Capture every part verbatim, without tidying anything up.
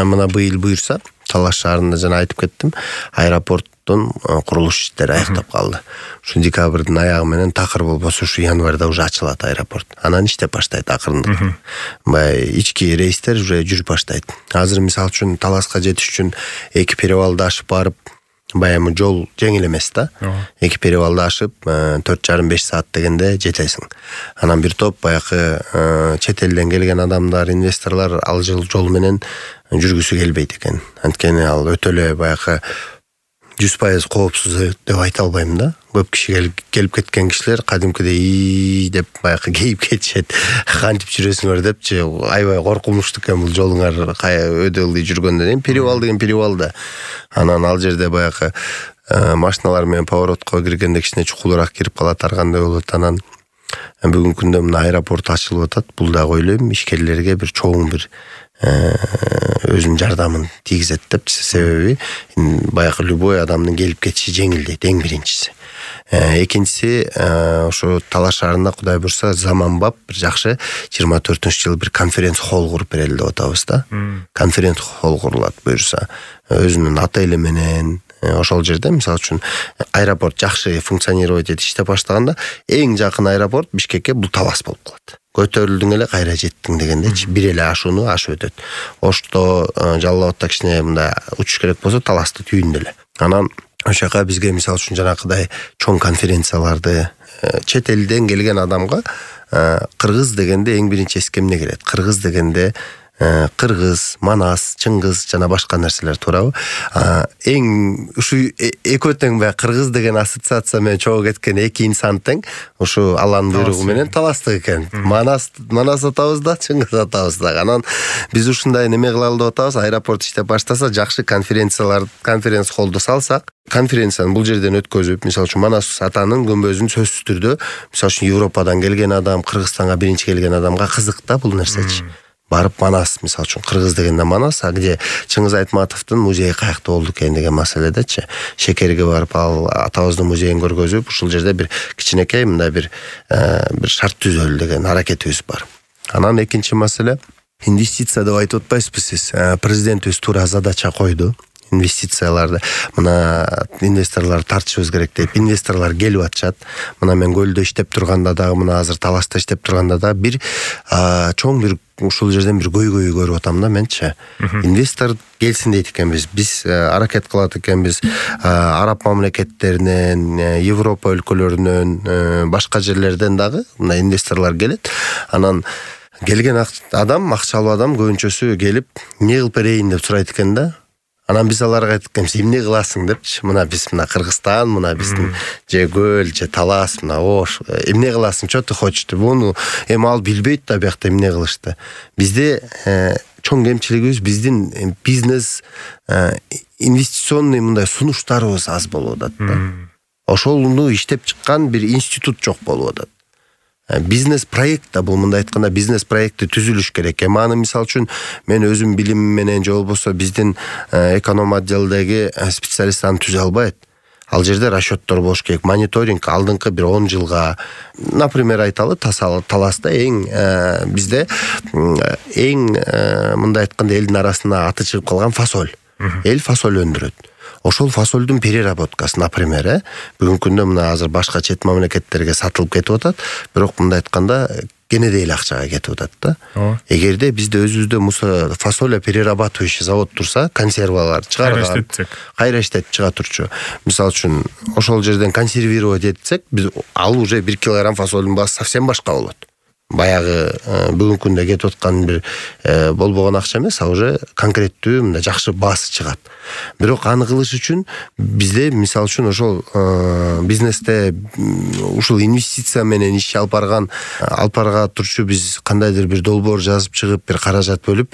мына быйыл буюрса Талаш шаарында жана айтып кеттим, аэропорттун курулуш иштери аяктап калды. Ушу декабрдын аягы менен такыр болбосо ушу январда уже ачылат аэропорт. Анан иштеп баштайт акырындык. Бай ички рейстер уже жүрүп баштайт. Азыр мисалы үчүн Таласка жетиш үчүн эки перевалды ашып барып, баягы жол жеңил эмес да. Эки перевалды ашып төрт жарым беш саат дегенде жетесиң. Анан бир топ баягы чет элден келген адамдар, инвесторлор ал жол жол менен жүргүсү келбейт экен. Анткени ал өтө эле баягы жүз пайыз коопсуз деп айта албайм да. Көп киши келип кеткен кишилер кадимкидей деп баягы кейип кетишет. Кантип жүрөсүңөр депчи, аябай коркунучтуу экен бул жолуңар өдө ылдый жүргөндөн кийин перевал деген перевал да. Анан ал жерде баягы машиналар менен поворотко киргенде кичине чукулураак кирип калат, аргандай болот. Анан бүгүнкү күндө мына аэропорт ачылып атат. Бул дагы ойлойм ишкерлерге бир чоң бир өзүнүн жардамын тийгизет депчи. Себеби баягы любой адамдын келип кетиши жеңилдейт, эң биринчиси. Экинчиси, ошо Талаш шаарында Кудай буйрса заманбап бир жакшы жыйырма төртүнчү жылы бир конференц холл куруп берели деп атабыз да. Конференц холл курулат буйрса. Өзүнүн отели менен ошол жерде мисалы үчүн аэропорт жакшы функционировать этип иштеп баштаганда эң жакын аэропорт Бишкекке бул Талас болуп калат. Көтөрүлдүң эле кайра жеттиң дегендечи, бир эле ашууну ашып өтөт. Ошто Жалал Абадта кичине мындай учуш керек болсо Таласты түйүндө эле. Анан ошол жака бизге мисалы үчүн жанакыдай чоң конференцияларды чет элден келген адамга кыргыз дегенде эң биринчи эске эмне келет? Кыргыз дегенде Кыргыз, Манас, Чыңгыз жана башка нерселер туурабы? Эң ушу экөө тең бай кыргыз деген ассоциация менен чогуу кеткен эки инсан тең ушу Алланын буйругу менен Таластык экен. Манас Манас атабыз да, Чыңгыз атабыз да. Анан биз ушундай неме кылалы деп атабыз. Аэропорт иштеп баштаса, жакшы конференциялар, конференц холлду салсак, конференцияны бул жерден өткөзүп, мисалы үчүн Манас атанын көмбөзүн сөзсүз түрдө, мисалы үчүн Европадан келген адам, Кыргызстанга биринчи келген адамга кызык да бул нерсечи. Барып Манас, мисалы үчүн Кыргыз дегенде Манас, а где Чыңгыз Айтматовдун музейи каякта болду экен деген маселедечи. Шекерге барып ал атабыздын музейин көргөзүп, ушул жерде бир кичинекей мындай бир бир шарт түзөлү деген аракетибиз бар. Анан экинчи маселе инвестиция деп айтып атпайсызбы сиз? Президентибиз туура задача койду. Инвестицияларды мына инвесторлор тартышыбыз керек деп, инвесторлор келип атышат. Мына мен көлдө иштеп турганда дагы, мына азыр Таласта иштеп турганда да бир чоң бир ушул жерден бир көйгөй көрүп атам да менчи. Инвестор келсин дейт экенбиз. Биз аракет кылат экенбиз. Араб мамлекеттеринен, Европа өлкөлөрүнөн, башка жерлерден дагы мына инвесторлор келет. Анан келген адам, акчалуу адам көбүнчөсү келип, эмне кылып берейин деп сурайт экен да. Анан биз аларга айтканбыз, эмне кыласың депчи. Мына биз мына Кыргызстан, мына биздин же көл, же Талас, мына ош. Эмне кыласың, что ты хочешь? Буну эми ал билбейт да биякта эмне кылышты. Бизде чоң кемчилигибиз биздин бизнес инвестиционный мындай сунуштарыбыз аз болуп атат да. Ошолну иштеп чыккан бир институт жок болуп атат. Бизнес проект да бул, мындай айтканда бизнес проекти түзүлүш керек. Эми аны мисалы үчүн мен өзүм билимим менен же болбосо биздин эконом отделдеги специалист аны түзө албайт. Ал жерде расчеттор болуш керек, мониторинг алдыңкы бир он жылга, например, айталы Таласта эң бизде эң мындай айтканда элдин арасында аты чыгып калган фасоль. Эл фасоль өндүрөт. Ошол фасолдун переработкасы, например, э бүгүнкү күндө мына азыр башка чет мамлекеттерге сатылып кетип атат, бирок мындай айтканда кенедей эле акчага кетип атат да. Эгерде бизде өзүбүздө муса фасоля перерабатывающий завод турса, консервалар чыгарган, кайра иштетип чыга турчу. Мисалы үчүн, ошол жерден консервировать этсек, биз ал уже бир килограмм фасолдун баасы совсем башка болот. Баягы бүгүнкү күндө кетип аткан бир болбогон акча эмес, а уже конкреттүү мындай жакшы баасы чыгат. Бирок аны кылыш үчүн бизде мисалы үчүн ошол бизнесте ушул инвестиция менен иш алып барган алып барга турчу биз кандайдыр бир долбоор жазып чыгып, бир каражат бөлүп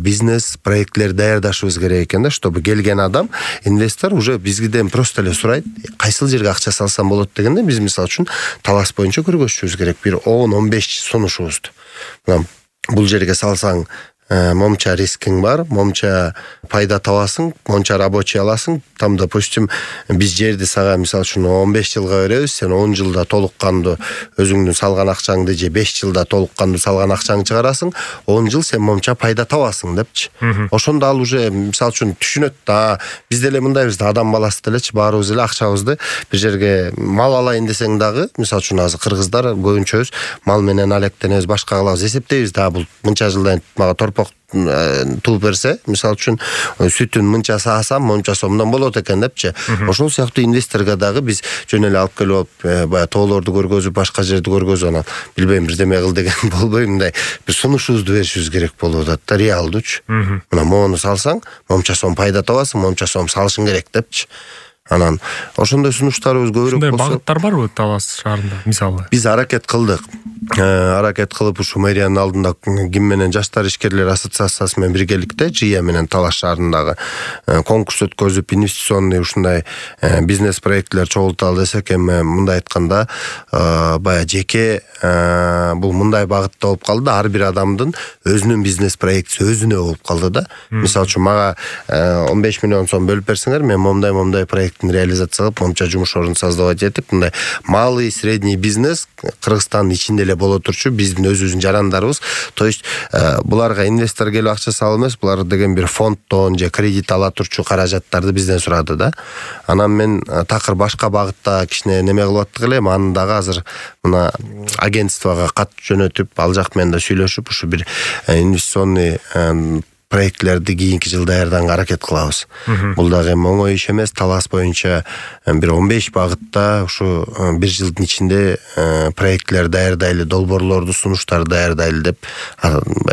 бизнес проектлер даярдашыбыз керек экен да, чтобы келген адам, инвестор уже бизгиден просто эле сурайт, кайсыл жерге акча салсам болот дегенде биз мисалы үчүн Талас боюнча көргөзүшүбүз керек бир он он беш сунушубузду. Бул жерге салсаң момча рискиң бар, момча пайда табасың, монча рабочий аласың. Там, допустим, биз жерди сага мисалы үчүн он беш жылга беребиз, сен он жылда толук кандуу өзүңдүн салган акчаңды же беш жылда толук кандуу салган акчаңды чыгарасың, он жыл сен момча пайда табасың депчи. Ошондо ал уже мисалы үчүн түшүнөт да, биз деле мындайбыз да, адам баласы делечи, баарыбыз эле акчабызды бир жерге мал алайын десең дагы, мисалы үчүн азыр кыргыздар көбүнчөбүз мал менен алектенебиз, башка кылабыз, эсептейбиз да, бул мынча жылдан мага торпок тууп берсе, мисалы үчүн сүтүн мынча саасам, монча сомдон болот экен депчи. Ошол сыяктуу инвесторго дагы биз жөн эле алып келип алып, баягы тоолорду көргөзүп, башка жерди көргөзүп, анан билбейм бирдеме кыл деген болбой, мындай бир сунушубузду беришибиз керек болуп атат да, реалдуучу. Мына мону салсаң, монча сом пайда табасың, монча сом салышың керек депчи. Анан ошондой сунуштарыбыз көбүрөөк болсо. Ушундай багыттар барбы Талас шаарында мисалы? Биз аракет кылдык. Аракет кылып ушу мэриянын алдында ким менен жаштар ишкерлер ассоциациясы менен биргеликте Жия менен Талас шаарындагы конкурс өткөзүп, инвестиционный ушундай бизнес проектлер чогулталы десек, эми мындай айтканда, баягы жеке бул мындай багытта болуп калды, ар бир адамдын өзүнүн бизнес проектиси өзүнө болуп калды да. Мисалы үчүн мага он беш миллион сом бөлүп берсеңер, мен момдай момдай проекттин реализация кылып, момча жумуш орун создавать этип, мындай малый, средний бизнес Кыргызстандын ичинде эле боло турчу биздин өзүбүздүн жарандарыбыз. То есть буларга инвестор келип акча салып эмес, булар деген бир фонддон же кредит ала турчу каражаттарды бизден сурады да. Анан мен такыр башка багытта кичине неме кылып аттык элем, аны дагы азыр мына агентствого кат жөнөтүп, ал жак менен да сүйлөшүп, ушу бир инвестиционный проектлерди кийинки жыл даярданга аракет кылабыз. Бул дагы эми оңой иш эмес. Талас боюнча бир он беш багытта ушу бир жылдын ичинде проектлер даярдайлы, долбоорлорду, сунуштарды даярдайлы деп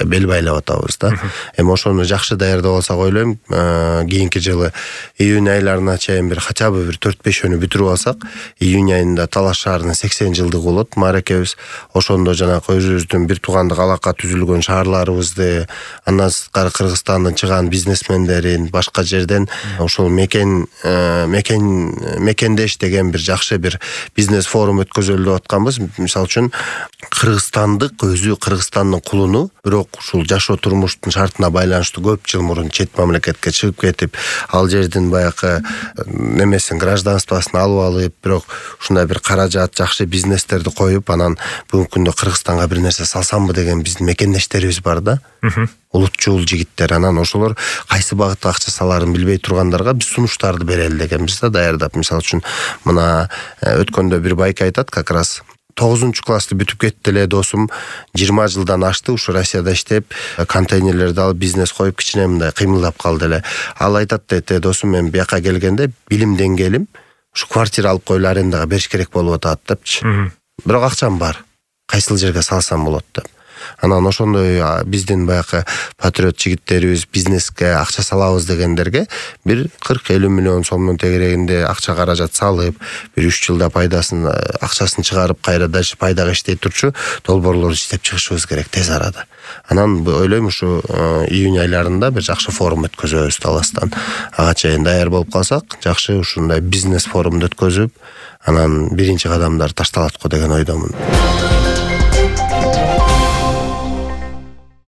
бел байлап атабыз да. Эми ошону жакшы даярдап алсак ойлойм, кийинки жылы июнь айларына чейин бир хотя бы бир төрт бешөөнү бүтүрүп алсак, июнь айында Талас шаарынын сексен жылдыгы болот мааракебиз. Ошондо жанагы өзүбүздүн бир туугандык алака түзүлгөн шаарларыбызды, андан сырткары Кыргызстандын чыган бизнесмендерин, башка жерден ошол мекен мекен мекендеш деген бир жакшы бир бизнес форум өткөзөлүп атканбыз. Мисалы үчүн кыргызстандык өзү Кыргызстандын кулуну, бирок ушул жашоо турмуштун шартына байланыштуу көп жыл мурун чет мамлекетке чыгып кетип, ал жердин баягы немесин, гражданствосын алып алып, бирок ушундай бир каражат, жакшы бизнестерди коюп, анан бүгүнкү күндө Кыргызстанга бир нерсе салсамбы деген биздин мекендештерибиз бар да. Улутчул жигиттер, анан ошолор кайсы багытта акча саларын билбей тургандарга биз сунуштарды берели дегенбиз да, даярдап. Мисалы үчүн мына өткөндө бир байка айтат, как раз тогузунчу классты бүтүп кетти эле досум, жыйырма жылдан ашты ушу Россияда иштеп, контейнерлерди алып бизнес коюп кичине мындай кыймылдап калды эле. Ал айтат дейт, досум, мен бияка келгенде билим деңгээлим ушу квартира алып коюлуп арендага бериш керек болуп атат депчи. Бирок акчам бар, кайсыл жерге салсам болот деп. Анан ошондой биздин баягы патриот жигиттерибиз бизнеске акча салабыз дегендерге бир кырк элүү миллион сомдун тегерегинде акча каражат салып, бир үч жылда пайдасын, акчасын чыгарып, кайра дальше пайдага иштей турчу долбоорлорду иштеп чыгышыбыз керек тез арада. Анан ойлойм ушу июнь айларында бир жакшы форум өткөзөбүз Таластан. Ага чейин даяр болуп калсак, жакшы ушундай бизнес форумду өткөзүп, анан биринчи кадамдар ташталат го деген ойдомун.